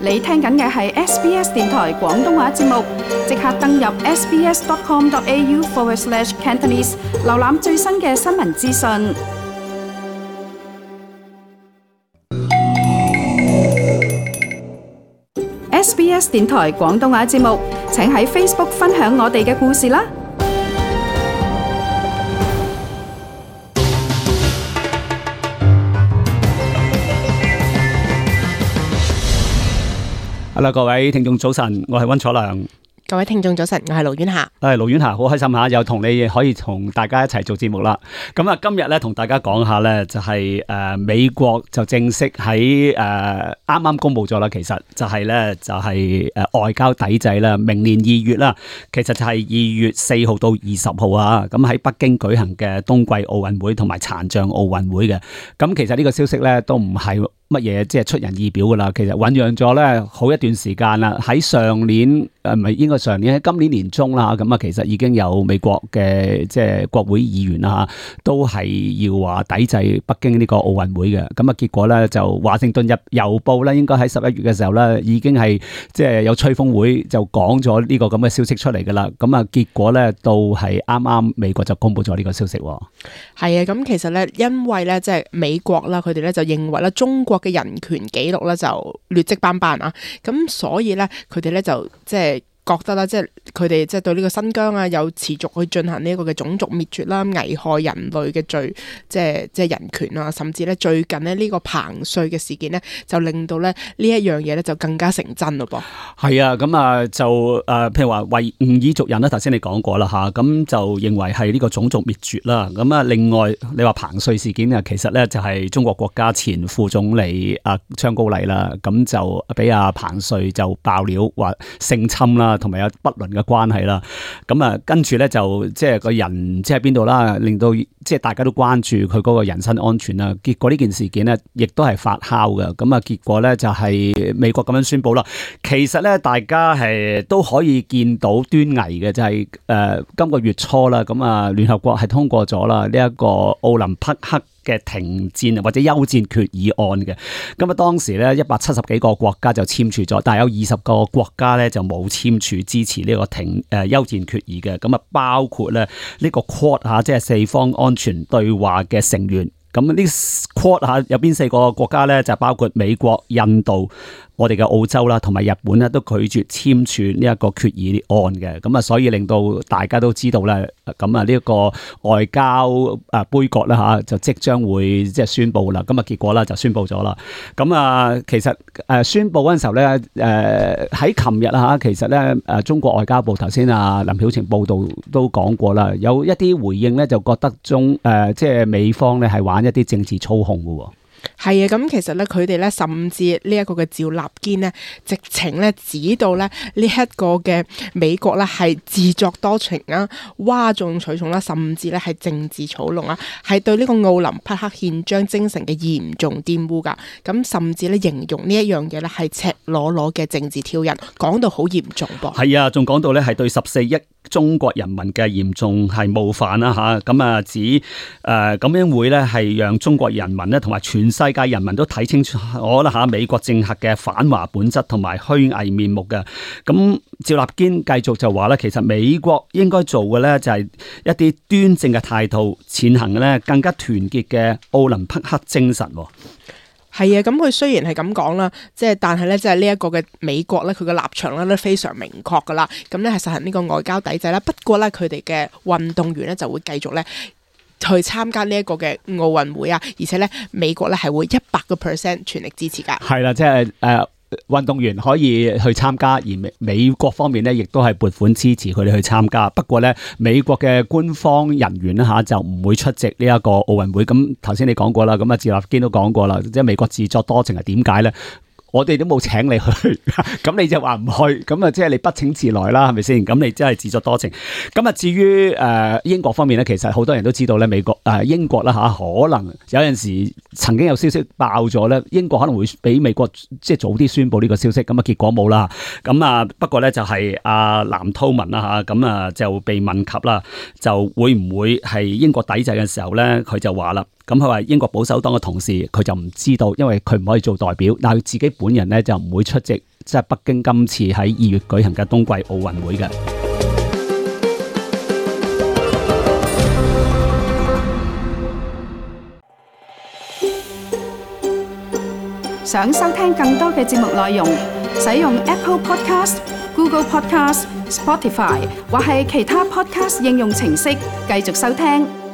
你聽緊嘅係 SBS 電台廣東話節目，即刻登入 sbs.com.au/Cantonese 瀏覽最新嘅新聞資訊。SBS 電台廣東話節目，請喺 Facebook 分享我哋嘅故事啦！Hello， 各位聽眾早晨，我係溫楚良。各位聽眾早晨，我係盧婉霞。盧婉霞，好開心吓，又同你可以同大家一齊做節目啦。咁啊，今日咧同大家講下咧，就係美國就正式喺啱啱公布咗啦。其實就係咧外交抵制啦，明年2月啦，其實就係2月4號到20號啊。咁喺北京舉行嘅冬季奧運會同埋殘障奧運會嘅。咁其實呢個消息咧都唔係乜嘢即係出人意表噶啦，其實醞釀咗咧好一段時間啦。喺上年唔係應該上年喺今年年中啦，咁啊其實已經有美國嘅即係國會議員啦，都係要話抵制北京呢個奧運會嘅。咁啊結果咧就華盛頓郵報咧應該喺11月嘅時候咧已經係即係有吹風會就講咗呢個咁嘅消息出嚟噶啦。咁啊結果咧到係啱啱美國就公布咗呢個消息。係啊，咁其實咧因為咧即係美國啦，佢哋咧就認為咧中國嘅人權紀錄咧就劣跡斑斑啊，咁所以咧佢哋咧就即係覺得啦，即係佢哋即係對呢個新疆啊，有持續去進行呢一個嘅種族滅絕啦、危害人類嘅罪，即係人權啊，甚至咧最近咧呢個彭帥嘅事件咧，就令到咧呢一樣嘢咧就更加成真咯噃。係啊，咁啊就譬如話維吾爾族人啦，頭先你講過啦嚇，咁就認為係呢個種族滅絕啦。咁啊，另外你話彭帥事件啊，其實咧就係中國國家前副總理張高麗啦，咁就俾彭帥就爆料話性侵啦。同埋有不倫嘅關係啦，咁啊跟住咧就即係個人即係邊度啦，令到即係大家都關注佢嗰個人身安全啦。結果呢件事件咧，亦都係發酵嘅。咁啊結果咧就係美國咁樣宣布啦。其實咧大家係都可以見到端倪嘅，就係今個月初啦，咁啊聯合國係通過咗啦呢一個奧林匹克嘅停戰或者休戰決議案嘅。咁啊當時咧170幾個國家就簽署咗，但係有20個國家咧就冇簽署支持呢個休戰決議嘅。咁啊包括咧呢個 Quad 即係四方安全對話嘅成員。咁呢 Quad 有邊4個國家咧？就包括美國、印度、我哋嘅澳洲啦，同埋日本咧，都拒絕簽署呢一個決議案嘅。咁啊，所以令到大家都知道咧，咁啊呢一個外交杯葛啦嚇，就即將會即係宣佈啦。咁啊結果啦就宣佈咗啦。咁啊其實宣佈嗰陣時候咧，喺琴日啦嚇，其實咧中國外交部頭先林曉晴報道都講過啦，有一啲回應咧就覺得即係美方咧係玩一啲政治操控嘅喎。係啊，咁其實咧，佢哋咧甚至呢一個嘅趙立堅呢，直情咧指到咧呢一個嘅美國咧係自作多情啊、嘩眾取寵啦，甚至咧係政治操弄啊，係對呢個奧林匹克憲章精神嘅嚴重玷污噶。咁甚至咧形容呢一樣嘢咧係赤裸裸嘅政治挑釁，講到好嚴重噃。係啊，仲講到咧係對14億中國人民嘅嚴重係冒犯啦嚇。咁啊指咁樣會咧係讓中國人民咧同埋全世界人民都睇清楚我啦嚇美國政客嘅反華本質同埋虛偽面目嘅。咁趙立堅繼續就話咧，其實美國應該做嘅咧就係一啲端正嘅態度，踐行咧更加團結嘅奧林匹克精神。係啊，咁佢雖然係咁講啦，即係但係咧，即係呢一個嘅美國咧，佢嘅立場咧都非常明確噶啦。咁咧係實行呢個外交抵制啦。不過咧，佢哋嘅運動員咧就會繼續咧去參加呢一個嘅奧運會啊，而且咧美國咧係會100% 全力支持噶。係啦，即係運動員可以去參加，而美國方面咧亦都係撥款支持佢哋去參加。不過咧，美國嘅官方人員咧嚇就唔會出席呢一個奧運會。咁頭先你講過啦，咁啊趙立堅都講過啦，即係美國自作多情係點解咧？我哋都冇請你去，咁你就話唔去，咁啊即係你不請自來啦，係咪先？咁你真係自作多情。咁啊至於英國方面咧，其實好多人都知道咧，英國啦嚇，可能有陣時曾經有消息爆咗咧，英國可能會比美國即係早啲宣布呢個消息，咁啊結果冇啦。咁啊不過咧就係阿藍韜文啦嚇，咁啊就被問及啦，就會唔會係英國抵制嘅時候咧，佢就話啦。咁佢話英國保守黨嘅同事佢就唔知道，因為佢唔可以做代表，但係佢自己本人咧就唔會出席即係北京今次喺2月舉行嘅冬季奧運會嘅。想收聽更多嘅節目內容，使用 Apple Podcast、Google Podcast、Spotify 或係其他 Podcast 應用程式繼續收聽。